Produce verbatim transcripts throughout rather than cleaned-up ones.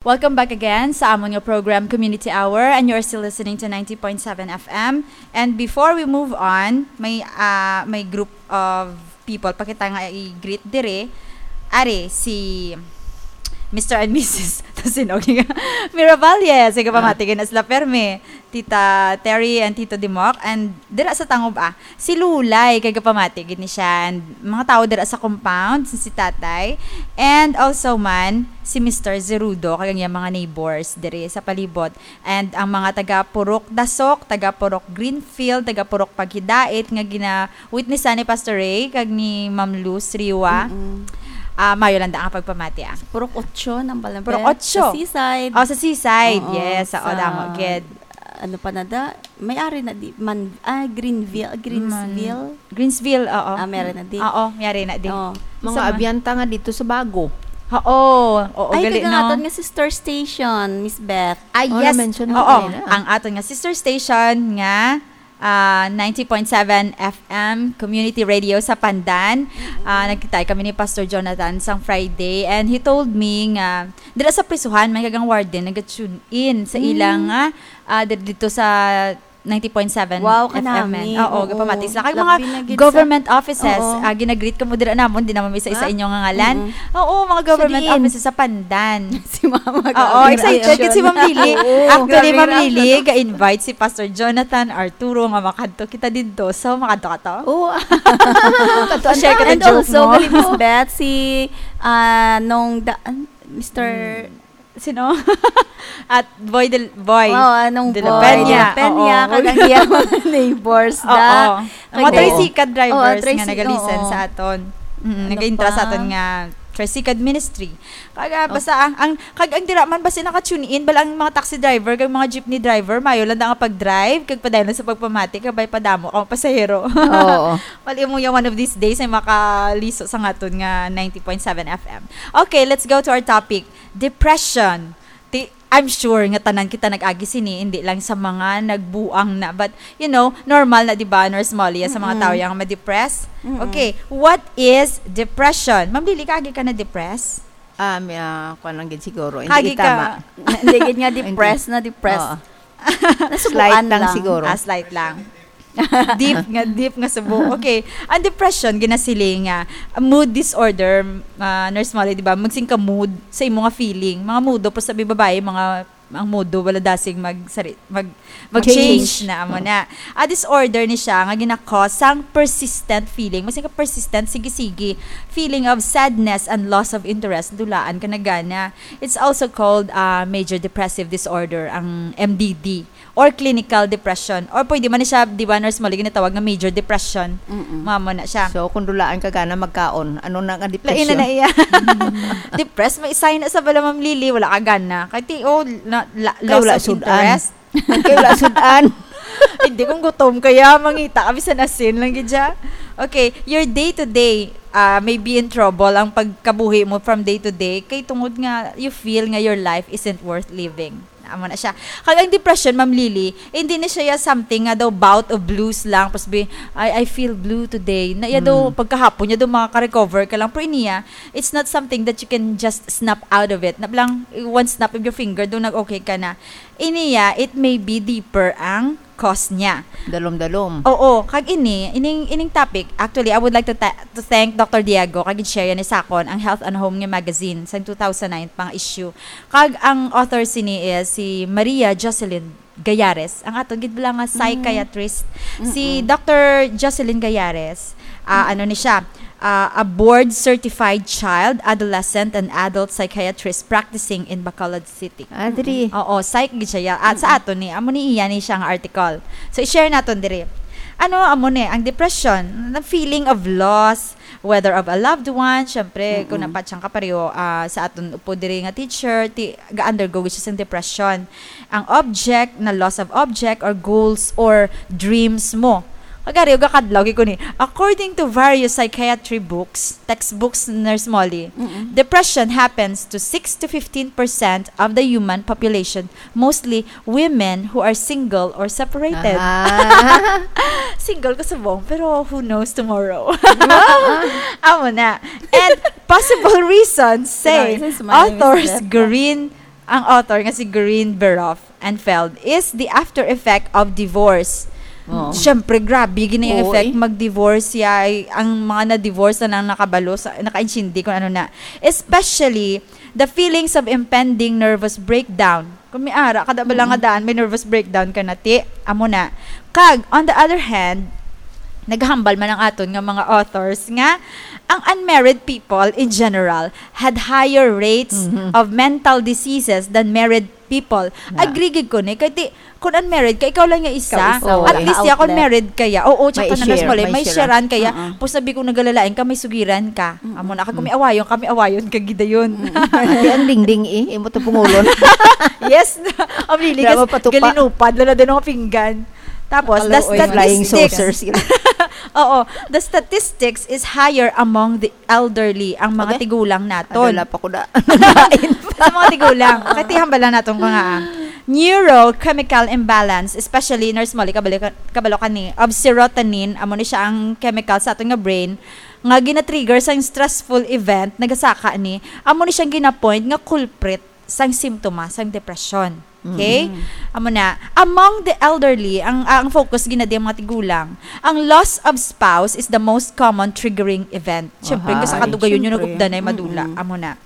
Welcome back again sa amon nga program, Community Hour, and you're still listening to ninety point seven F M. And before we move on, may, ah, may group of people pa kita nga i-greet dire. Ari, si Mister and Missus Tasinog. Miravalles, nga pamati gid na sila permi. Tita Terry and Tito Dimok, and dira sa Tangub, ah, si Lulay, kay gapamati gid ni siya, and mga tawo dira sa compound, si, si Tatay, and also man, si Mister Zerudo, kag ang iyang mga neighbors diri sa palibot, and ang mga taga Purok Dasok, taga Purok Greenfield, taga Purok Paghidait, nga gina-witnessan ni Pastor Ray, kag ni Ma'am Luz Riwa. Mm-mm. Ah, mayo lang da ang pagpamati, ah. Purok Ocho, nang Balabel. Purok Ocho. Sa Seaside. Oh, sa Seaside, Oo, yes. Oo, sa damo, gid. Ano pa na da? May ari na di man, ah, Greenville, Greensville. Man-, Greensville, oo. Ah, may ari na di. Oo, may ari na di. Oo. Mga Sa ma- abyanta nga dito sa Bago. Oo, oo, Ay, gali, kag ang no? aton nga sister station, Miss Beth. Ah, Oh, yes. na-mention mo Oo, kanina. ang aton nga sister station nga, ah, ninety point seven F M Community Radio sa Pandan. Ah, nagkita kami ni Pastor Jonathan sang Friday, and he told me nga dira sa prisuhan, may kagang warden nag-tune in sa Mm. ilang, ah, ah, dir-, dito sa ninety point seven Wow, F M. kanami. Oo, Oo. gapamati sila. Kag Labi mga na gid sa government offices, Oo. ah, ginagreet kamo dira namon, di naman may isa-isa Ha? inyo nga ngalan. Mm-mm. Oo, mga So, government diin? offices sa Pandan. Si Mama, Oo, grabe na excited action. gid si Ma'am Lily. Oo, Actually, grabe Ma'am na Lily, action. ga-invite si Pastor Jonathan Arturo nga makadto kita didto. So, makadto ka to? Oo. Kadto, Share ka and ng joke also, mo. gali, Miss Beth, si, ah, nung da-, an-, Mister Hmm. Sino? At Boy Del-, Boy Oo, anong De La Boy Peña. De La Peña, Oo. kag ang iyang mga neighbors Oo. na. Ang mga Kag tricycle drivers Oo, nga tricy-, nag-listen oo. sa aton. Mm, Ano nag-intra sa pa? aton nga tricycle ministry. Kag, ah, Oh. basta ang, ang, kag ang dira man, basta naka-tune in, bala ang mga taxi driver, kag mga jeepney driver, mayo lang da nga pag-drive, kag padayon lang sa pagpamati, kag may padamo ka mga pasahero. Oo. Wala mo yung one of these days ay makaliso sa aton nga ninety point seven F M. Okay, let's go to our topic. Depression. Ti-, I'm sure nga tanan kita nag-agi sini, hindi lang sa mga nagbuang na. But, you know, normal na, di ba, Nurse Molly, sa mga Mm-mm. tao yang ma-depress? Mm-mm. Okay, what is depression? Ma'am Lily, kaagi ka na-depress? Ah, may, ah, kuwan lang gid siguro. Hindi Kaagi ka. tama. Hindi gid nga Hindi. depressed na depressed. Oo. Nasubuan Slight lang lang. siguro. Ah, slight lang. Deep nga, deep nga subo. Okay. Ang depression, ginasiling nga, a mood disorder, ah, Nurse Molly, di ba? Magsing ka mood sa imo nga feeling. Mga mudo po sa babae, mga, ang mudo, wala dasing mag-, sari-, mag-, mag-change Change. na, amo na. A disorder ni siya nga gina-cause sang persistent feeling. Magsing ka persistent, sige-sige. Feeling of sadness and loss of interest. Dulaan ka na gana. It's also called, ah, major depressive disorder, ang M D D. Or clinical depression. Or pwede man ni siya, di ba, Nurse Molly, ginatawag nga major depression. Mm-mm. Mamo na siya. So, kung dulaan ka gana magkaon, ano na nga Lain na depression? na iya. Depressed, may sign na sa bala, Ma'am Lily, wala ka gana. Kay ti-, oh, na, la-, Kay loss wala of sudan. interest. Kay wala sudan. Hindi, kung gutom kaya, mangita ka, bisan asin lang gid siya. Okay, your day to day, ah, may be in trouble ang pagkabuhi mo from day to day. Kay tungod nga, you feel nga your life isn't worth living. Amo na siya. Kag ang depression, Ma'am Lily, hindi na siya ya something nga daw bout of blues lang. Pas bi, "Ay, I feel blue today." Na ya daw, Mm. pagkahapon niya daw makaka-recover ka lang. Pero iniya, it's not something that you can just snap out of it. Na lang, one snap of your finger, daw nag-okay ka na. Iniya, it may be deeper ang cause niya. Dalom-dalom. Oo, kag ini, ining, ining topic, actually, I would like to ta-, to thank Doctor Diego, kag gin-share yan ni sakon, ang Health and Home nga magazine, sa two thousand nine pang issue. Kag ang author sini is si Maria Jocelyn Gallares, ang aton gid bala nga Mm. psychiatrist. Si Mm-mm. Doctor Jocelyn Gallares, ah, Mm. ano ni siya, ah, a board-certified child, adolescent, and adult psychiatrist practicing in Bacolod City. Ah, diri. Oo, psych gid siya. At sa Mm-mm. aton ni, amo ni iya ni siya nga article. So, i-share naton diri. Ano, amo ni, ang depression, the feeling of loss, whether of a loved one, syempre, kung Mm-mm. napatsang ka pareho, ah, sa aton upo diri nga teacher, ti-, ga-undergo gid siya sa depression. Ang object, na loss of object, or goals, or dreams mo. Kagari, o gakadlaw, gid ko ni. According to various psychiatry books, textbooks, Nurse Molly, Mm-mm. depression happens to six to fifteen percent of the human population, mostly women who are single or separated. Ah. Single ko subong, pero who knows tomorrow? Amo na. And possible reasons, say, Pero isa si Mami authors Miss Jeff. Green, ang author nga si Greenberg and Feld is the after effect of divorce. Oo. Siyempre, grabe gini ang Oo, effect eh. Mag-divorce ya, ay, ang mga na-divorce na lang nakabalo, sa, nakaintindi kung ano na. Especially, the feelings of impending nervous breakdown. Kung may ara, kada bala nga Mm. daan, may nervous breakdown ka na, ti, amo na. Kag, on the other hand, naghambal man ang aton nga mga authors nga ang unmarried people in general had higher rates Mhm. of mental diseases than married people. Na. Agree gid ko ni, kay ti, kung unmarried ka, ikaw lang nga isa. Ikaw isa, At wala least ka ya, kung outlet. Married ka ya. Oo, May tsaka na i-share, mas mali, may may share. Sharean ka ya. Uh-uh. Pus sabi ko, nagalalain ka, may sugiran ka. Mm-mm. Amo na, kag kung may awayon ka, may awayon ka gid dayon. Mm-mm. Ate, ang dingding eh, imo to pungulon. Yes. Ang lili, Wala gas-, mapatupa. Galinupad, lalo din ang pinggan. Tapos, the Hello, oy, flying statistics. Saucers. Oo, the statistics is higher among the elderly, ang mga Okay. tigulang naton. Adala pa ko na. Sa mga tigulang. Kay tihambal lang naton ko nga, ah, neurochemical imbalance, especially, Nurse Molly, kabalo ka, kabalo ka ni, of serotonin, amo ni siya ang chemical sa aton nga brain, nga gina-trigger sang stressful event, nagasaka ni, amo ni siyang ginapoint nga culprit sang simptoma sang depression. Okay? Mm. Amo na, among the elderly, ang, ang focus ginadi ang mga tigulang, ang loss of spouse is the most common triggering event. Siyempre, Aha. Kasi kadugayon yun, Siyempre. Nagugdanay, madula. Mm-mm. Amo na.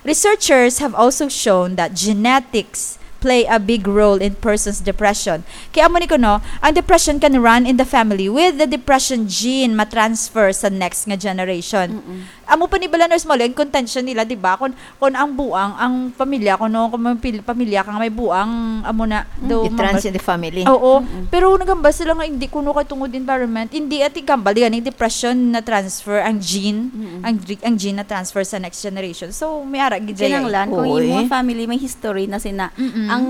Researchers have also shown that genetics play a big role in person's depression. Kaya amo ni kuno, ang depression can run in the family with the depression gene ma-transfer sa next nga generation. Mm-mm. Amo pa ni bala, Nurse Molly, ang contention nila, di ba? Kung, kung ang buang, ang pamilya, kung, no, kung may pil-, pamilya ka nga may buang, amo na, Mm. daw It runs mabas-, in the family. Oo. Mm-mm. Pero nagambal sila nga hindi kuno kay tungod environment. Hindi, ati gambal, di gani depression na transfer ang gene, Mm-mm. ang dri-, ang gene na transfer sa next generation. So, may ara gid dyan. Kinahanglan, kung Oy. Imo family may history na sina, Mm-mm. ang,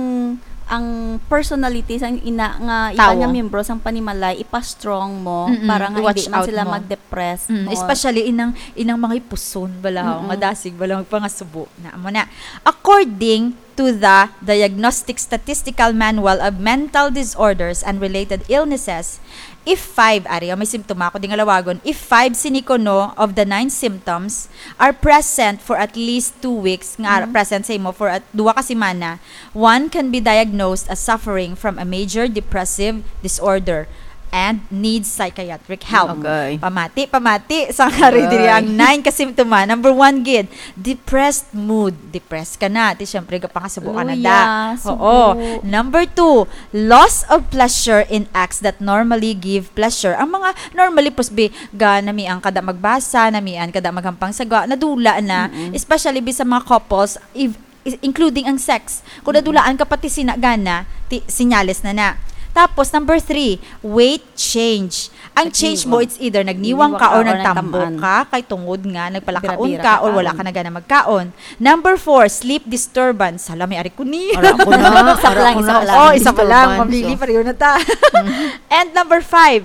ang personality sang ina nga iba Tawo. Nga miyembro sang panimalay, ipa-strong mo Mm-mm. para nga I-watch hindi man out sila mo. Mag-depress Mm, mo. Especially inang, inang mga ipuson, bala, Mm-mm. Nga dasig, bala, magpangasubo. Na, amo na. According to the Diagnostic Statistical Manual of Mental Disorders and Related Illnesses, if five, ari, may simptoma ako di nga lawagon, if five sini kuno of the nine symptoms are present for at least two weeks, nga Mm. present sa imo for at, duwa ka semana, one can be diagnosed as suffering from a major depressive disorder and needs psychiatric help. Okay. Pamati, pamati, sa nga rin diri Agoy. Ang nine ka simptoma. Number one gid, depressed mood. Depressed ka na. Ti, syempre, gapangasubo ka na Luya, da. Subo. Oo. Number two, loss of pleasure in acts that normally give pleasure. Ang mga normally, pusbi, ga, namian ka da magbasa, namian ka da maghampang sagwa, nadula na. Mm-mm. Especially bi sa mga couples, if, is-, including ang sex. Kung Mm-mm. Nadulaan ka pati sina gana, ti-, sinyales na na. Tapos, number three, weight change. Ang change mo, Nagniwang. It's either nagniwang Nagniwang ka or ka or nagtambok nagtam-an. Ka, kay tungod nga, nagpalakaon Bira-bira ka ka or wala taon. Ka na gana magkaon. Number four, sleep disturbance. Hala, may ari ko ni. Ara ko na, Isa pa ara lang, ko isa na. Pa lang. Oh, isa pa lang. Disturbance, Mabili, oh. Pareho na ta. Mm-hmm. And number five,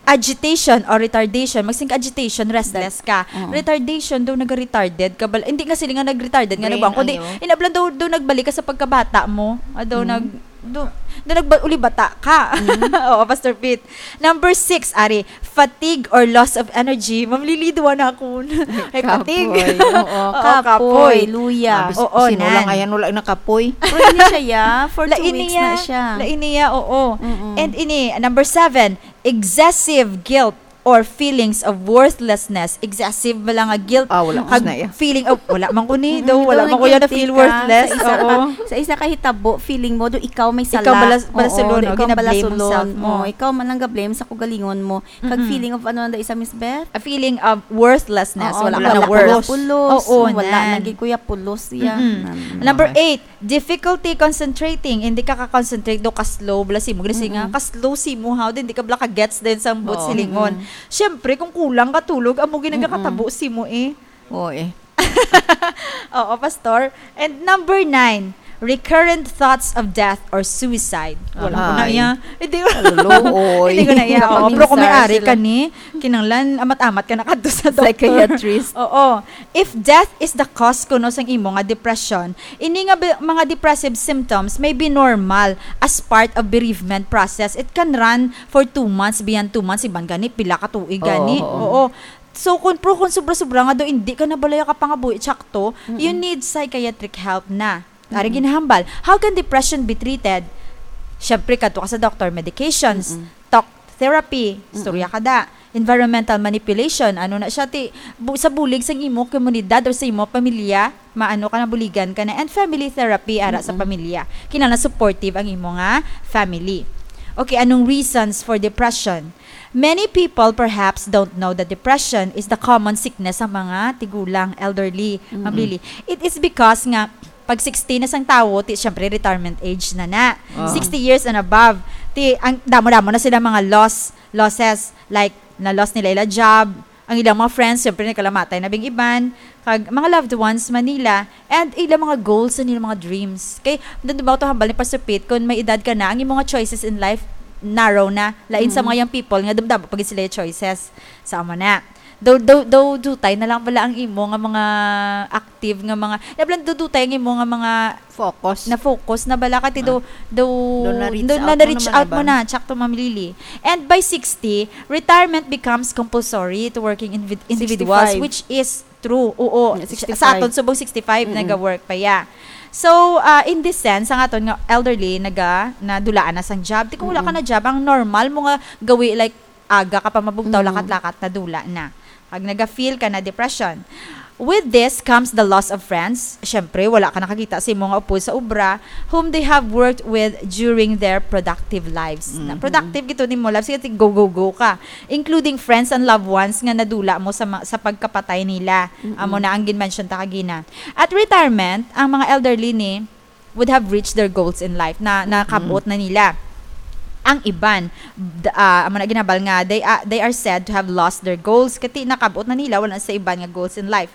agitation or retardation. Magsing ka agitation, restless ka. Oo. Retardation, daw nag-retarded ka. Bal-, hindi nga sila nga nag-retarded nga Brain, nagbuang. Kundi, ayo. Inablan daw, daw nagbalik ka sa pagkabata mo. Ah, daw Mm. nag-, daw, daw nagba-, uli bata ka. Mm. Oo, Pastor Pete. Number six, ari, fatigue or loss of energy. Ma'am Lily, duwa na ako. Ay, fatigue. Kapoy, oo. Oo, Kapoy, kapoy. Luya. Ah, bis-, Oo, sinulang, nan. Ayan, wala na kapoy. Pero ini siya, ya. For two Laini weeks ya. Na siya. Laini ya, oo. Mm-mm. And ini, number seven, excessive guilt or feelings of worthlessness. Excessive ba lang nga guilt? Ah, wala ko Kag na iya. Feeling of, wala man ko ni, Mm, daw, wala daw man ko yan na na-guilty feel ka worthless. Sa isa Oo. Ka, sa isa ka hitabo, feeling mo, do ikaw may Ikaw sala. Bala-, balasulon, Oo, no? Ikaw ang Gina-blame mo balasulon. Self mo. Oo, ikaw man lang ga-blame sa kugalingon mo. Kag Mm-mm. Feeling of ano na isa, Miss Beth? A feeling of worthlessness. Oo, Wala wala ka na na worth. Pulos. Pulos. Oo, Wala na. Naging kuya pulos siya. Mm-mm. Nan-, Number okay. Eight, difficulty concentrating, hindi ka ka-concentrate do, ka-slow, bala simo, gani nga, Mm-mm. Ka-slow simo, ha, hindi ka bala ka-gets din sa buot Oo. Silingon. Mm-mm. Siyempre, kung kulang ka tulog, amo gid ang Mm-mm. Kakatabo simo, eh. Oo, eh. Oo, Pastor. And number nine, recurrent thoughts of death or suicide. Wala ko na Ahay. Iya. Hindi ko Hello, oy. Hindi ko na iya. Oo, pero kung may Napaminsar ari sila. Ka ni, kinanglan, amat-amat ka na kadto sa doktor. Psychiatrist. Oo. If death is the cause kuno sang imo nga depression, ini nga bi-, mga depressive symptoms may be normal as part of bereavement process. It can run for two months, beyond two months, iban gani, pila ka tuig Oo, gani. Oo. Oo. So, kung, pero kung sobra-sobra nga do, hindi ka na balaya ka pangabuhi, tsakto, you Mm-mm. Need psychiatric help na. Ari ginahambal. How can depression be treated? Siyempre, kadto ka sa doktor, medications, Mm-mm. talk therapy, istorya ka da, environmental manipulation, ano na siya, ti, bu- sa bulig sa imo komunidad or sa imo pamilya, maano ka na, buligan ka na, and family therapy ara sa Mm-mm. pamilya. Kinahanglan supportive ang imo nga family. Okay, anong reasons for depression? Many people perhaps don't know that depression is the common sickness sa mga tigulang, elderly, Mm-mm. Ma'am Lily. It is because nga pag sixty na sang tawo, ti, syempre, retirement age na na. Ah. Sixty years and above. Ti, ang damo-damo na sila mga loss, losses, like, na-loss nila ila job, ang ilang mga friends, syempre, nagkalamatay na bing iban, kag mga loved ones man nila, and ilang mga goals and ilang mga dreams. Kay, doon ba ito hambal ni Pastor Pete, kung may edad ka na, ang imong mga choices in life, narrow na. Lain sa Mm. mga young people, nga dumdamo pag sila choices. Sa amo na. Daw, daw, daw, dutay na lang pala ang imo nga mga active nga mga, ya, pala dudutay ang imo nga mga Focus. na-focus na bala ka ti do, do, Do na-reach do out na mo reach naman, out diba? mo na, tsakto, Ma'am Lily. And by sixty, retirement becomes compulsory to working invi- individuals, Sixty-five. Which is true. Oo. Yeah, Sa- sixty-five. Sa aton subong sixty-five, Mm-mm. naga-work pa ya. So, uh, in this sense, ang aton nga elderly, naga, nadulaan na sang job. Di kung wala ka Mm-mm. na job, ang normal mo nga gawi, like, aga ka pa mabugtaw, Mm. lakat-lakat, nadula na. Pag naga-feel ka na depression. With this comes the loss of friends. Siyempre, wala ka nakakita sa imo nga upod sa obra whom they have worked with during their productive lives. Na Mhm. productive gito nimo lives, kasi go, go, go ka. Including friends and loved ones nga nadula mo sa ma- sa pagkapatay nila. Mm-mm. Amo na ang gin-mention ta kagina. At retirement, ang mga elderly ni would have reached their goals in life na nakabot na nila. Ang iban, d- ah, amo na ginabal nga, they, ah, they are said to have lost their goals. Kati nakabot na nila, wala sa iban nga goals in life.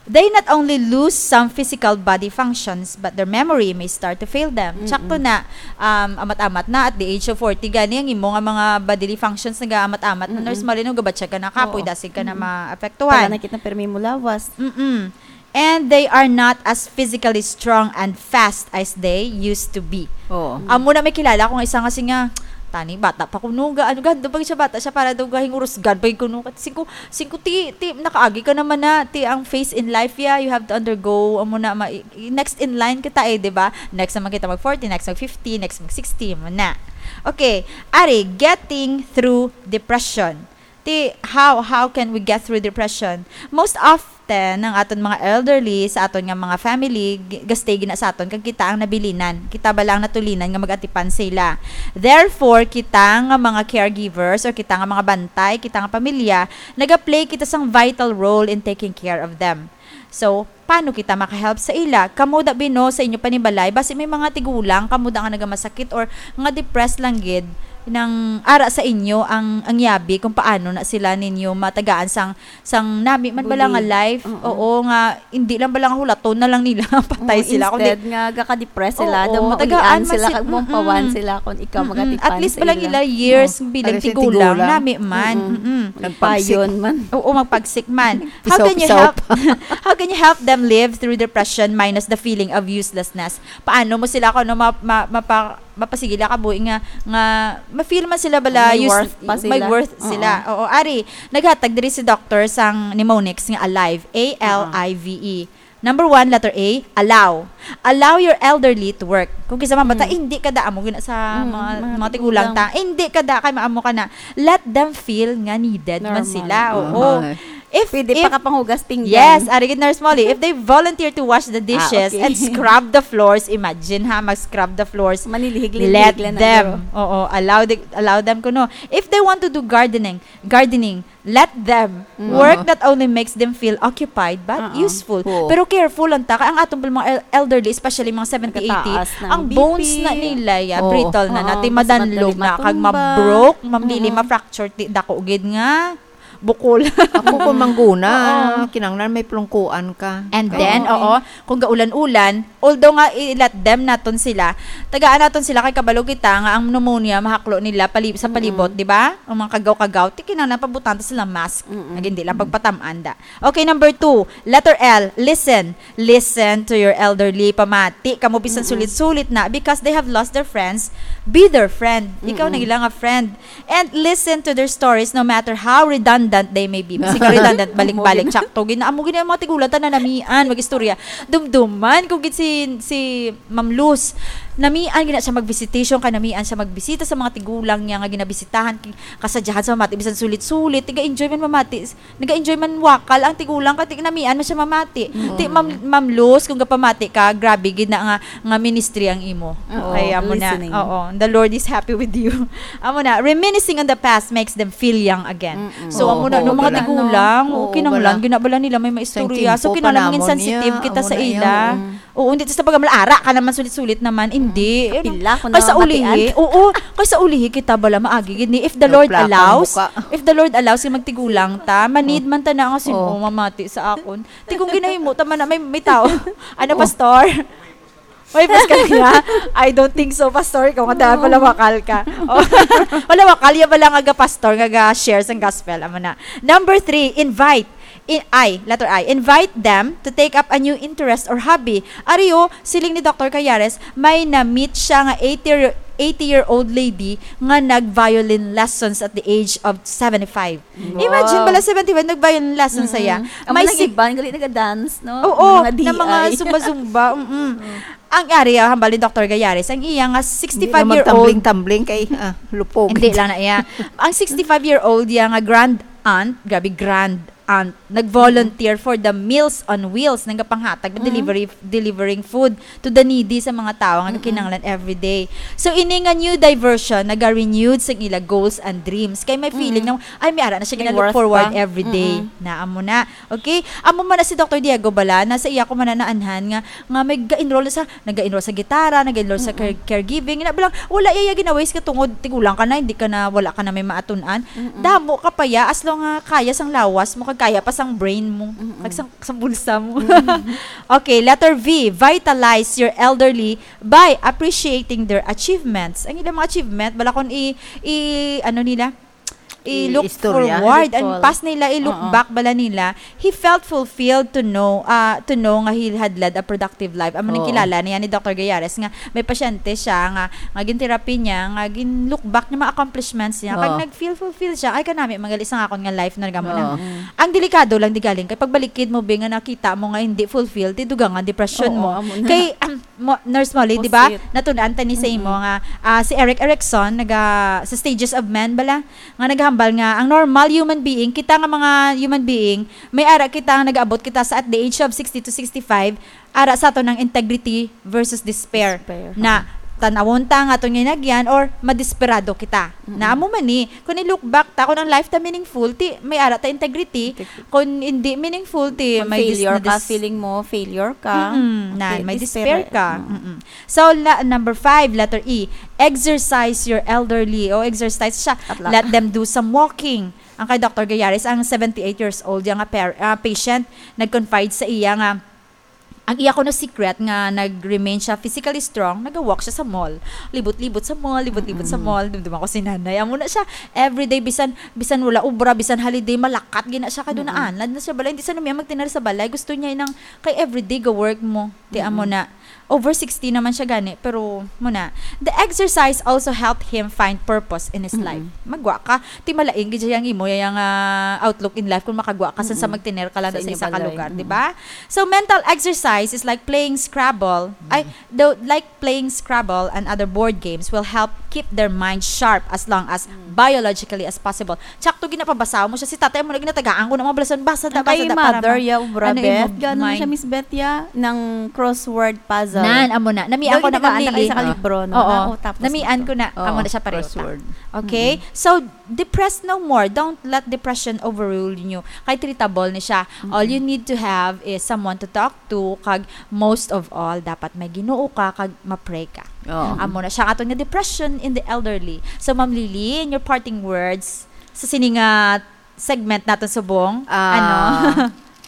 They not only lose some physical body functions, but their memory may start to fail them. Mm-mm. Tsakto na, um, amat-amat na, at the age of forty, gani ang imo nga mga bodily functions nag-amat-amat na. Mm-mm. Nurse Marlene, gabatsyag ka na kapoy, Oo. Dasi ka na Mm-mm. maapektuhan. Taga na kita permi mo lawas. Mm-mm. And they are not as physically strong and fast as they used to be. Oo. Amo na may kilala ko nga isa nga singa, "Tani, bata pa kuno ga, ano ga, doon pa siya bata siya para daw gahingurusgan pa kuno." Singko, singko ti, ti, nakaagi ka naman na, ti ang phase in life ya, you have to undergo, amo na, ma, i- next in line kita eh, di ba? Next naman kita mag forty, next mag fifty, next mag sixty, mo na. Okay, ari, getting through depression. Ti, how, how can we get through depression? Most often, ang aton mga elderly sa aton nga mga family, g- gastay gina sa aton, kag kita ang nabilinan. Kita bala ang natulinan nga mag-atipan sila. Therefore, kita nga mga caregivers or kita nga mga bantay, kita nga pamilya, nagaplay kita sang vital role in taking care of them. So, paano kita makahelp sa ila? Kamo da bino sa inyo panibalay, basi may mga tigulang kamo da nga nagamasakit or nga depressed lang gid nang ara sa inyo ang ang yabi kung paano na sila ninyo matagaan sang sang nami man bala nga Bulig. Life. Oo. Oo, nga hindi lang bala nga hulaton na lang nila patay Oo, sila, kundi instead nga gaka-depress sila, Oo, daw tagaan maulian sila, mas- kag mampawan mm-mm. sila kung ikaw Mm-mm. magatipan At least sa bala ila. Nila years Oh, bilang pareho sa tigulang, tigulang. nami man. Mm-mm. Mm-mm. Nagpagsik. Payon man. Oo, magpagsik man. How can you Pisaw-pisaw help? pa. How can you help them live through depression minus the feeling of uselessness? Paano mo sila, kung ano, ma, ma, mapa, mapasigila ka buhi nga nga ma-feel man sila bala May use- worth pa may sila. Worth Oo. Sila. Oo, ari, naghatag diri si doctor sang mnemonics nga alive, A L I V E. Number one, letter A, allow. Allow your elderly to work. Kung kinsa man bata, Mm. hindi ka da, amo gina sa Mm, mga, mga mga tigulang tigulang. Ta, hindi ka da, kay maamo ka na. Let them feel nga needed man Normal. Sila. Oo. Oo. Ay. If, Pwede if, pa ka panghugas pinggan. Yes, ari gid, Nurse Molly. If they volunteer to wash the dishes Ah, okay. And scrub the floors, imagine ha, mag-scrub the floors. Manilihig-lihig Let lang na, them. Doro. Oo, allow the, allow them kuno. If they want to do gardening, gardening, let them. Mm. Work Oo. that only makes them feel occupied but Oo. Useful. Oo. Pero careful lang ta, kay ang aton pala mga el- elderly, especially mga seventy, eighty, Nagataas na ang ang bones B P. Na nila, ya, Oo. brittle na, Oo, natin mas madanlog madali na, kag matumba. Mabroke, mamlili, Oo. Ma-fracture, ti, dako gid nga bukol. Ako kung mangguna, Oo. kinanglan may plungkuan ka. And Kaya, then, Oo. Oo, kung gaulan-ulan, although nga i-let them naton sila, tagaan naton sila kay kabalo kita nga ang pneumonia mahaklo nila pali- sa Mm-mm. palibot, di ba? Ang mga kagaw-kagaw, ti kinahanglan pabutang ta sila mask. Mm-mm. Nga hindi lang pagpatamaan da. Okay, number two, letter L, listen. Listen to your elderly. Pamati kamo bisan Mm-mm. Sulit-sulit na, because they have lost their friends. Be their friend. Ikaw Mm-mm. na ila nga friend. And listen to their stories no matter how redundant redundant day maybe. Sige, redundant, balik-balik. Sakto. Gina-, amo gina ang mga tigulang, tanan namian, mag-istorya. Dumduman ko gid si, si Ma'am Luz. Namian gina siya mag-visitation, kay namian siya magbisita sa mga tigulang niya nga ginabisitahan, ki-, kasadyahan sa mamati, bisan sulit-sulit, tiga-enjoy man mamati. Nag-enjoy man wakal ang tigulang, kay ti-, namian man siya mamati. Mm. Ti, Ma'am, Ma'am Luz, kung gapamati ka, grabe gid na nga, nga ministry ang imo. Oo, kay amo na. Listening. Oo, the Lord is happy with you. Amo na, reminiscing on the past makes them feel young again. Mm-mm. So, amo na, Oo, no, mga wala. Tigulang, Oo, o, kinahanglan, wala. Ginabala nila may maistorya. Sa So, tiempo kinahanglan pa mangin namon sensitive niya, kita amo sa na iya, ila. Mm. Oo, hindi, tas tabaga, "Ara ka naman, sulit-sulit naman." Hindi, Mm. ano, Kapila ko kay sa na ulihi, matian. Oo, kay sa ulihi kita bala maagi gid ni, if the No, Lord plaka ang allows, muka. If the Lord allows, nga magtigulang ta, manid Oh. man ta na nga sin-, Oh. oh, mamati sa akon. Ti kung ginahimo ta man na may, may tao. Ano, Oh. Pastor? May pas ka niya? I don't think so, Pastor. Ikaw nga, dahil pala wakal ka. Oh. Wala, wakal, yan pala nga ga-pastor, nga ga-share sang gospel. Amo na. Number three, invite. In, I, letter I, invite them to take up a new interest or hobby. Ari, o, siling ni Doctor Cayares, may na-meet siya nga eighty year, eighty-year-old lady nga nag-violin lessons at the age of seventy-five. Imagine Wow. pala, seventy-one, nag-violin lessons Mm-mm. siya. Amo May nang si- iban, gali naga-dance, no? Oo, Mga na mga D I. zumba-zumba, mm-mm. Mm. Ang ari, ah, hambal ni Doctor Gayares, ang iya nga Hindi naman sixty-five-year-old tumbling-tumbling kay, ah, lupog. Hindi lang na iya. Ang sixty-five-year-old iya nga grand aunt, grabe, grand aunt, nag-volunteer for the Meals on Wheels, nagapanghatag, Mm. delivery, delivering food to the needy sa mga tawo nga Mm-mm. kinahanglan every day. So, ini nga new diversion, naga-renewed sa ila goals and dreams. Kay may feeling Mm. na, ay, may ara na siya May gina-look worth forward pa. every day. Mm-mm. Na, amo na. Okay? Amo man na si Doctor Diego bala, na sa iya ko man na naanhan nga, nga may ga-enroll sa, naga-enroll sa gitara, naga-enroll sa care-, Mm-mm. caregiving. Na, balang, wala iya gina-waste ka tungod, tigulang ka na, hindi ka na, wala ka na may maatun-an. Mm-mm. Damo ka pa ya, as long nga kaya sang lawas mo, kag kaya pa sang brain mo, Mm-mm. kag sang, sang bulsa mo. Mm-mm. Okay, letter V, vitalize your elderly by appreciating their achievements. Ang ilang mga achievement, bala kung i, i, ano nila, i-look I-istorya. forward and Recall. past nila, i-look Oo. back bala nila, he felt fulfilled to know, ah, to know nga he had led a productive life. Amo ning Oo. kilala niya ni Doctor Gayares nga may pasyente siya nga, nga gin-therapy niya, nga gin-look back niya mga accomplishments niya. Kag Oo. nag-feel fulfilled siya, "Ay, kanami, magalis ang akon nga life na gamo na." Oo. Mm. Ang delikado lang di galing kay pagbalikid mo, be, nga nakita mo nga hindi fulfilled, ti dugangan depression Oo, mo. amo na. Kay, mo, Nurse Molly, di ba? Pusit. Natun-an ta ni sa imo Mm-mm. nga, ah, si Erik Erikson, naga, sa Stages of Men bala, nga naghambal nga ang normal human being, kita nga mga human being, may ara kita nga nagaabot kita sa at the age of sixty to sixty-five, ara sa aton ang integrity versus despair. Despair. Na tanawon ta nga aton ginagyan or madesperado kita. Mm-mm. Na amo man ni, kung i-look back ta, kung ang life ta meaningful, ti may ara ta integrity. Integrity. Kung hindi meaningful, ti Kung may dis-, failure na ka, dis- feeling mo failure ka, Mm-mm. Na, okay, may despair despair eh. ka. Mm. Mm-mm. So, la-, number five, letter E, exercise your elderly. O, exercise siya. At la- Let them do some walking. Ang kay Doctor Gayares, ang seventy-eight years old, yang nga par-, ah, patient, nag-confide sa iya nga, ang iya kuno secret nga nag-remain siya physically strong, nag-walk siya sa mall. Libot-libot sa mall, libot-libot sa Mm-mm. mall. Dumduma ko si nanay. Amo na siya, everyday, bisan, bisan wala obra, bisan holiday, malakat gina siya, kay Mm-mm. dunaan. Lad na siya balay, hindi siya namiya magtinar sa balay. Gusto niya nang kay everyday ga-work mo. Ti amo Mm-mm. na. Over sixty naman siya gani, pero muna, the exercise also helped him find purpose in his Mm-mm. life. Magwa ka, ti malain gid siya ang imo, yang, ah, outlook in life kung makagwa ka sa, sa Mm-mm. magtiner ka lang Sa sa inyo isa ka balay. lugar, di Mm-mm. ba? So, mental exercise is like playing Scrabble. Ay, Mm. the, like playing Scrabble and other board games will help keep their mind sharp as long as Mm. biologically as possible. Tsakto ginapabasa mo siya. Si tatay mo na ginatagaan ko ng mga balasan. Basa da, Ang kay basa da, para mother, ma-, ya, obra, ano, Beth? imo Gano'n siya, mind. Miss Beth, ya? Ng crossword puzzle. Nan, amo na. Namian Daw ko na, Ma'am ginagaan na kay Lily. sa kalibro, no? Oo. Ah, oh, tapos Namian ito. ko na. Oo, Amo na siya pareho ta. crossword. Okay? Mm-mm. So, depress no more. Don't let depression overrule you. Kay treatable ni siya. All Mm-mm. you need to have is someone to talk to, kag most of all, dapat may Ginoo ka, kag ma-pray ka. Oo. Amo na siya aton nga depression in the elderly. So, Ma'am Lily, in your parting words, sa sini nga segment naton subong, Ah, ano?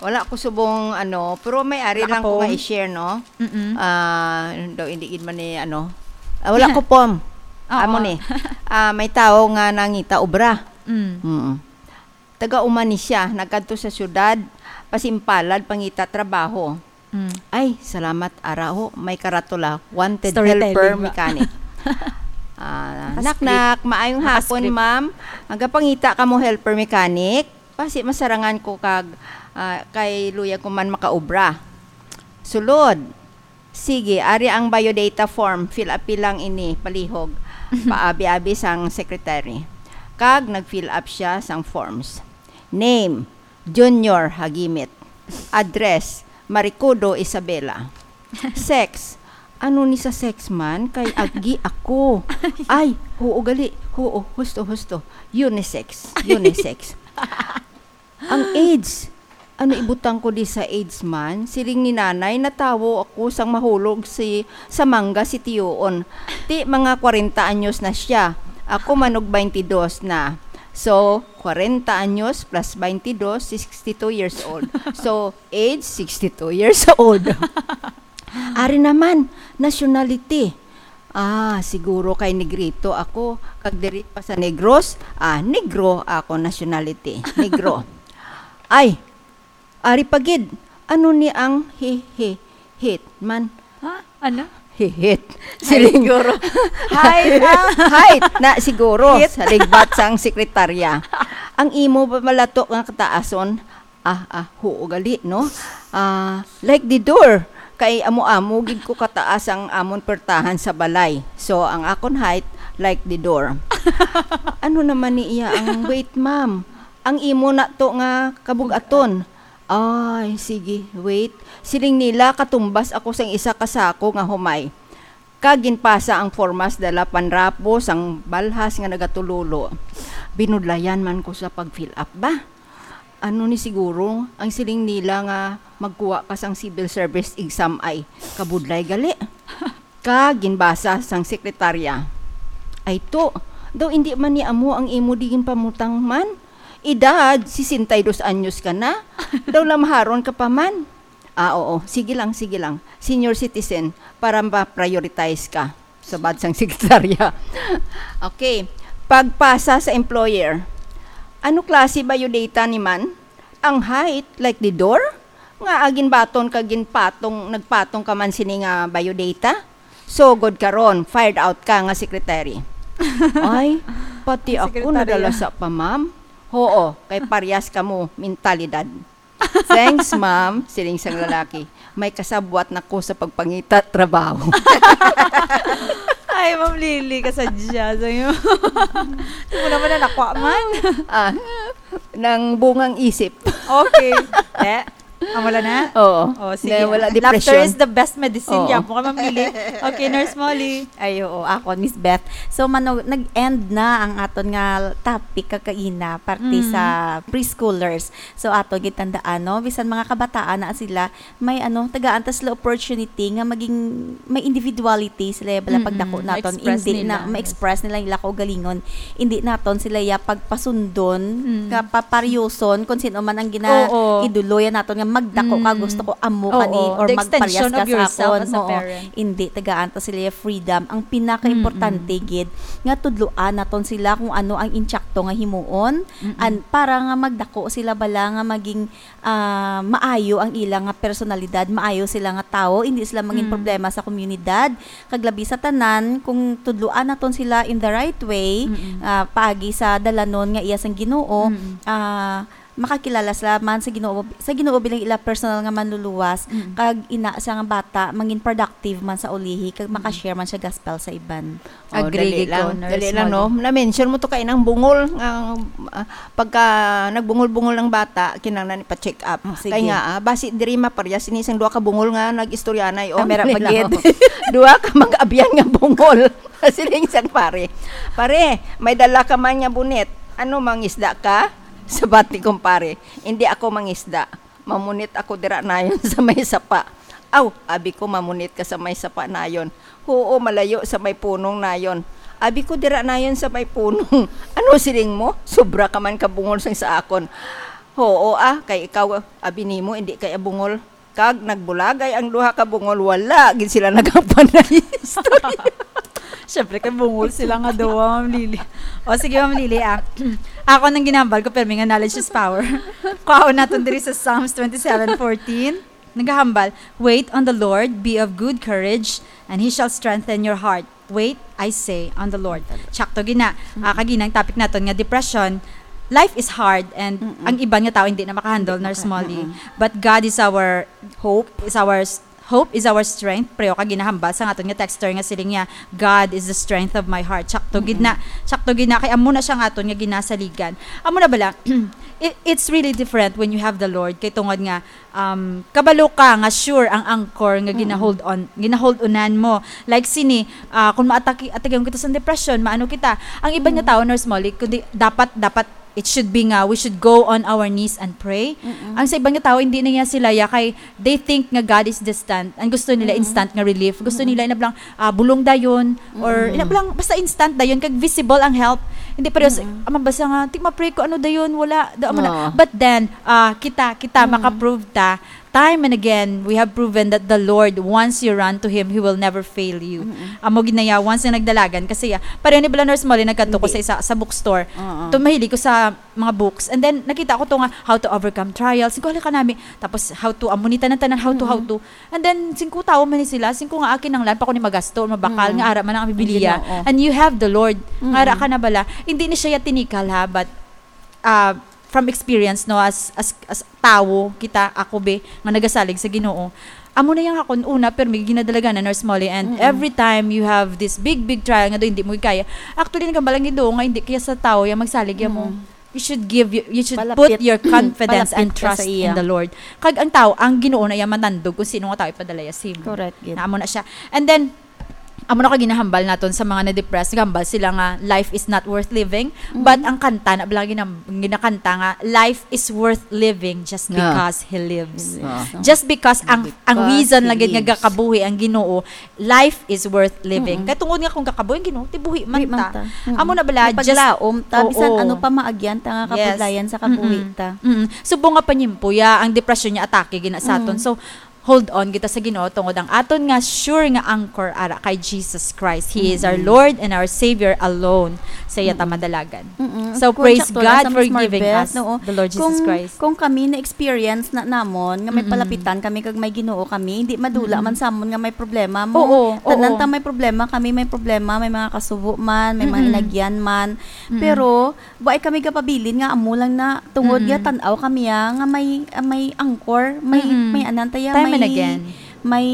wala ko subong, ano, pero may ari lang ko nga Naka-poem? i-share, no? Mm-mm. Ah, daw, hindi gid man ni, ano. Ah, wala ko poem. Oo. Amo ni. Ah, may tao nga nangita obra. Mm. Mm. Taga-uma ni siya, nagkadto sa syudad, pasimpalad, pangita trabaho. Mm. Ay, salamat, ara, ho, may karatula, wanted Storytelling helper ba? mechanic. Ah, Naka-script. knock, knock, maayong hapon, Naka-script. ma'am. Nagapangita kamo helper mechanic? Kasi masarangan ko kag, ah, kay luyag ko man makaobra. Sulod. Sige, ari ang biodata form. Fill up lang ini, palihog. Paabi-abi sang secretary. Kag nag-fill up siya sang forms. Name, Junior Hagimit. Address, Maricudo, Isabela. Sex, ano ni sa sex man? Kay agi ako. Ay, huo gali. Huo, husto, husto. Unisex. Unisex. Ang age. Ano ibutang ko di sa age man? Siling ni nanay, natawo ako sang mahulog si, sa mangga si tiyoon. Ti mga kwarenta anyos na siya. Ako manog twenty-dos na. So, kwarenta anyos plus twenty-dos, sixty-two years old. So, age, sixty-two years old. Ari naman, nationality. Ah, siguro kay negrito ako. Kag diri pa sa Negros, ah, negro ako nationality. Negro. Ay, ari pa gid. Ano ni ang hi-, hi-, hit man? Ha? Ano? Hihit. Ay, siling siguro. Height, ah. Height na siguro. Hit. Sa ligbat sang sekretarya. Ang imo ba malato nga kataason? Ah, ah, huo gali, no? Ah, like the door. Kay amo-amo gid ko kataas ang amon pertahan sa balay. So, ang akon height, like the door. Ano naman ni iya ang weight, ma'am? Ang imo na to nga kabugaton. Ay, sige, wait. Siling nila, katumbas ako sang isa ka sako nga humay. Kag ginpasa ang formas dala panrapo sang balhas nga nagatululo. Binudlayan man ko sa pag-fill up ba? Ano ni siguro ang siling nila nga magkuha ka sang civil service exam ay kabudlay gali? Kag ginbasa sang sekretarya. Ay to, daw indi man ni amo ang imo di ginpamutang man? Edad, sesenta y dos anyos ka na? Daw lamaharon ka pa man? Ah, oo. Sige lang, sige lang. Senior citizen, para ma-prioritize ka. Sabat sang sekretarya. Okay. Pagpasa sa employer. Ano klase biodata ni man? Ang height, like the door? Nga agin baton ka ginpatong, nagpatong ka man sini nga biodata? So, good karon, fired out ka nga secretary. Ay, pati Ang ako sekretarya. Nadala sa pa, ma'am. Oo, kay paryas ka mo, mentalidad. Thanks, ma'am, siling sang lalaki. May kasabwat na ko sa pagpangita trabaho. Ay, Ma'am Lily, kasadya sa'yo. Hindi mo naman na nakuha man. Ah, nang bungang isip. Okay. Eh, ah, wala na? Oo. Oh, sige. Na wala Laughter depression. Is the best medicine. Oo. Yapo ka, Ma'am Lily. Okay, Nurse Molly. Ay, oo, ako, Miss Beth. So, mano, nag-end na ang aton nga topic kakaina, parte Mm. sa preschoolers. So, aton gitandaan, no? Bisan mga kabataan na sila, may ano, tagaan ta sila opportunity nga maging, may individuality sila, bala, Mm-mm. Pagdako naton, ma-express hindi na, nila. Ma-express nila ila kaugalingon. Hindi naton sila ya pagpasundon, Mm. nga paparyoson, kung sino man ang gina-, Oo. idolo ya naton nga magdako ka, Mm. gusto ko amo ka ni, Oo. Or The magparyas extension ka of sa yourself akon. As a Oo. Parent. Hindi, tagaan ta sila ya freedom. Ang pinakaimportante Mm-mm. gid, nga tudloan naton sila kung ano ang insakto nga himuon, Mm-mm. an-, para nga magdako sila bala nga maging, ah, maayo ang ila nga personalidad, maayo sila nga tawo, hindi sila mangin Mm. problema sa komunidad. Kag labi sa tanan, kung tudloan naton sila in the right way, Mm-mm. ah, paagi sa dalanon nga iya sang Ginoo, Mm-mm. ah, makakilala sila man sa Ginoo, sa Ginoo bilang ila personal nga manluluwas, Mm. kag ina siya nga bata, mangin productive man sa ulihi, kag Mm. makashare man siya gospel sa iban. Oh, agree gid ko, Nurse Molly. Dali lang, no? Na-mention mo to kay nang bungol, nga, ah, pagka nagbungol-bungol ang bata, kinahanglan ipa-check up. Oh, sige. Kay nga, ah, basi diri maparyas ini sang duha ka bungol nga nag-istoryanay, oh. Kamera pa gid. Duha ka mag-abyan nga bungol. Siling sang pare, "Pare, may dala ka man nga bunit. Ano, mangisda ka?" Sabat ni kumpare, "Hindi ako mangisda. Mamunit ako dira nayon sa may sapa." "Aw," abi ko, "mamunit ka sa may sapa nayon." "Huo, malayo sa may punong nayon." Abi ko, "Dira nayon sa may punong." "Ano siling mo? Sobra ka man kabungol sang sa akon." "Huo, ah, kay ikaw, abi nimo, indi kay abungol." Kag nagbulagay ang duha ka bungol, wala gid sila nagapanay istorya. Siyempre, kay bungol sila nga duha, Ma'am Lily. O, sige, Ma'am Lily, ah. Ako nang ginambal ko, pero may nga knowledge is power. Kuhaon naton diri sa Psalms twenty-seven fourteen. Nagahambal, "Wait on the Lord, be of good courage, and He shall strengthen your heart. Wait, I say, on the Lord." Sakto gina. Mm. Ah, kaginang topic naton nga depression. life is hard and Mm-mm. ang iban nga tao hindi na makahandle, Hindi Nurse maka-, Molly. Mm-mm. But God is our hope, is our s-, hope is our strength. Pareho ka ginahambal sa aton nga texter nga siling niya, "God is the strength of my heart." Sakto gid na, Mm-mm. sakto gid na, kay amo na siya nga aton nga ginasaligan. Amo na bala, it, it's really different when you have the Lord. Kay tungod nga, um, kabalo ka nga sure ang anchor nga Mm-mm. ginahold on, ginahold unan mo. Like sini, ah, kung maatake, atakeon kita sa depression, maano kita. Ang iban nga Mm. tao, Nurse Molly, kundi dapat, dapat it should be nga we should go on our knees and pray. Mm-mm. Ang sa iban nga tao, hindi na niya sila ya kay they think nga God is distant. Ang gusto nila Mm-mm. instant nga relief. Gusto Mm-mm. nila na blang, ah, bulong dayon or Mm-mm. ina blang basta instant dayon kag visible ang help. Hindi pareho sa, Mm-mm. ah, mabasa nga, "Ti ma-pray ko ano dayon, wala." Da, amo na. Oo. But then, ah, kita, kita Mm-mm. makaprove ta time and again, we have proven that the Lord, once you run to Him, He will never fail you. Mm-mm. Amo gid na ya, once nga nagdalagan, kasi ya, pareho ni Bala Nurse Molly, nagkadto ko Hindi. sa isa, sa bookstore. Oo. Ito, mahilig ko sa mga books. And then, nakita ko to nga, how to overcome trials. Singko, "Halika nami." Tapos, how to, amo ni tanan-tanan, how to, how Mm-mm. to. And then, singko tawo man ni sila, singko nga akin ang lan pa ko ni magasto, mabakal Mm. nga ara man ang Ang Biblia. Ginoo. And you have the Lord. Mm-mm. Nga ara ka na bala. Hindi ni siya ya tinikal, ha, but, ah, from experience, no, as, as, as tawo, kita, ako, be, nga nagasalig sa Ginoo. Amo na yang akon una, pero may ginadalagan na, Nurse Molly, and Mm-mm. every time you have this big, big trial nga do, hindi mo kaya, actually, nagambal ang Ginoo nga hindi kaya sa tawo yang magsalig ya mo. Mm-mm. You should give, you, you should Palapit. put your confidence and Palapit ka sa trust iya. in the Lord. Kag ang tawo, ang Ginoo na iya manandog kung sino nga tawo ipadala ya sa imo. Correct, gid. Na amo na siya. And then, amo na ka ginahambal naton sa mga na-depressed, gambal sila nga life is not worth living, Mm-hmm. but ang kanta na bala ginam-, ginakanta nga life is worth living just Ah. because He lives. Yes. Ah. Just because ang, ang Because reason He lang gid nga lives. gakabuhi ang Ginoo, life is worth living. Mm-mm. Kay tungod nga kung gakabuhi ang Ginoo, ti buhi man Buhi man ta. ta. Mm-mm. Amo na bala, just Mapaglaom ta, bisan Oo. ano pa maagyan ta nga Yes. kabudlayan sa kabuhi Mm-mm. ta. Mm-mm. Subong nga panyimpo ya, ang depresyon niya atake gina sa aton. Mm. So, hold on kita sa Ginoo tungod ang aton nga sure nga anchor ara kay Jesus Christ. He is our Mm-mm. Lord and our Savior alone. Sa iya ta Mm-mm. madalagan. Mm-mm. So, Kung praise sakto lang God sa for Miss giving Marbeth, us no? the Lord Jesus Kung, Christ. kung kami na-experience na namon nga may Mm-mm. palapitan kami kag may Ginoo kami, hindi madula Mm-mm. man sa amon nga may problema mo. Oo, Tanan oo. ta may problema, kami may problema, may mga kasubo man, may mga Mm-mm. inagyan man. Mm-mm. Pero, Wa ay kami gapabilin nga amo lang na tungod Mm-mm. ya tan-aw kami, ah, nga may, ah, may anchor, may, Mm-mm. may anan ta ya, Time and may, again. may,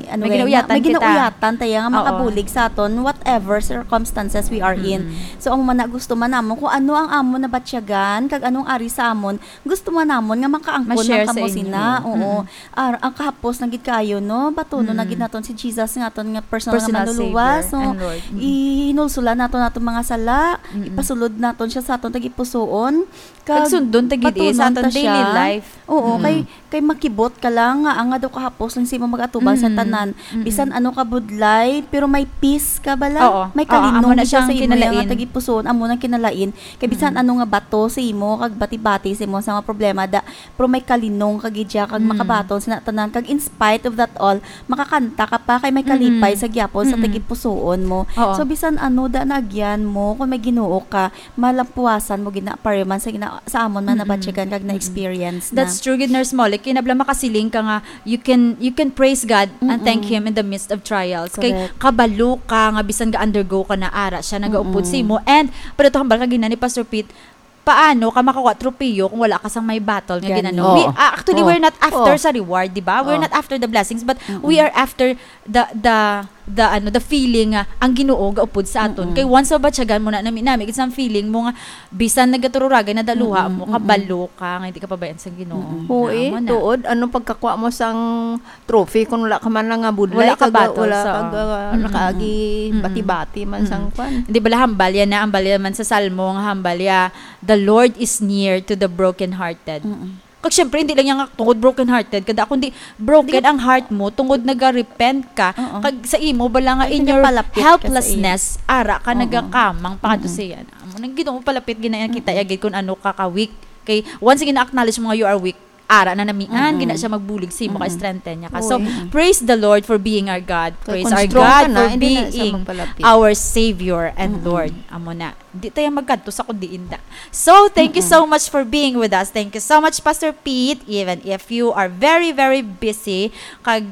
ano May eh, nga, ginauyatan may kita. ginauyatan ta ya nga Oo. makabulig sa aton, whatever circumstances we are in. Mm-mm. So, ang mana gusto man namon, kung ano ang amon nabatyagan, kag anong ari sa amon, gusto man namon nga makaangkon Ma-share lang sa kamo inyo. sina. Oo. Mm-mm. Ar-, ang kahapos na gid kaayo, no? Batunon na gid Mm. naton si Jesus nga aton nga personal nga Personal manluluwas. Savior So, and Lord. Mm. ihinulsolan naton aton mga sala, Mm-mm. ipasulod naton siya sa aton tagipusoon. Kag Kag sundon ta gid, eh, sa batunon aton ta daily siya. life. Oo, Mm. kay, kay makibot ka lang nga ang nga daw kahapos lang sa imo mag-atubang sa Mm-mm. tanan. Mm-mm. Bisan ano ka budlay, pero may peace ka bala. Oo. May Oo, amo kalinong na gid siya siyang sa imo nga kinalain. tagipusoon, amo nang kinalain. Kay bisan Mm-mm. ano nga bato sa imo, kag bati-bati sa imo sa mga problema, da, Pero may kalinong ka gid siya, kag Mm. makabaton sina tanan, kag in spite of that all, makakanta ka pa, kay may kalipay Mm-mm. sa gyapon sa Mm-mm. tagipusoon mo. Oo. So, bisan ano da naagyan mo, kung may Ginoo ka, malampuasan mo gid na, pareho man sa gina-, sa amon man Mm-mm. nabatyagan kag Mm-mm. na-experience na. That's true gid, Nurse Molly. Kinabla makasiling ka nga, you can, you can praise God and thank Mm-mm. Him in the midst of trials. Kay Correct. kabalo ka nga bisan ga-undergo ka na ara, siya nagaupod Mm-mm. sa imo. And, pero to hambal ka gina ni Pastor Pete, paano ka makakuha tropeo kung wala ka sang may battle nga Gani. ginano? Oo. We, ah, actually, Oo. we're not after Oo. sa reward, di ba? We're Oo. not after the blessings, but Mm-mm. we are after the, the, the, ano, the feeling nga ang Ginoo gaupod sa aton. Mm-mm. Kay once mabatyagan mo na, nami, nami, it's some feeling mo nga bisan nagatururagay na daluha Mm-mm. mo, Mm-mm. kabalo ka nga hindi ka pabayaan sa Ginoo. Mm-mm. Oo, eh, Amo na. tuod, ano pagkakuha mo sang trophy kung wala ka man lang nga budlay, Wala ka kag, battles, wala oo. kag, ah, Mm-mm. nakaagi Mm-mm. bati-bati man Mm-mm. sang kwan. Di ba, hambal ya na, hambal ya man sa Salmo nga hambal ya, "The Lord is near to the brokenhearted." Mm-mm. Kag syempre, hindi lang yan nga tungod brokenhearted, kada, kundi broken Di ka ang heart mo, tungod naga-repent ka, Oo. kag sa imo, bala nga Ay, in your nagapalapit ka sa helplessness, ara ka Oo. nagakamang pangadto Mm-mm. sa iya. Amo nang Ginoo palapit, ginaya kita Mm-mm. yagid kung ano ka ka-weak. Kay, once gina-acknowledge mo nga you are weak, ara na namian, Mm-mm. gina siya magbulig sa imo, Mm-mm. ka-strengthen niya ka. So, Uy. praise the Lord for being our God. Kay Praise kung our strong God ka na, for hindi na siya being magpalapit. our Savior and Mm-mm. Lord. Amo na. Di tayo magkadto sa kundi inda. So, thank you Mm-mm. so much for being with us. Thank you so much, Pastor Pete, even if you are very, very busy. Kag,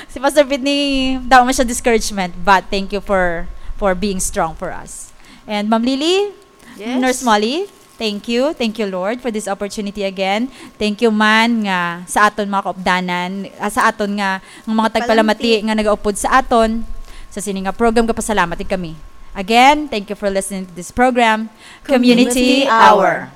si Pastor Pete ni, daw man siya discouragement, but thank you for, for being strong for us. And Ma'am Lily, Yes. Nurse Molly, Thank you. Thank you, Lord, for this opportunity again. Thank you man nga sa aton mga kaupdanan, ah, sa aton nga, nga mga tagpalamati nga nagaupod sa aton sa sini nga program, gapasalamat gid kami. Again, thank you for listening to this program, Community Hour.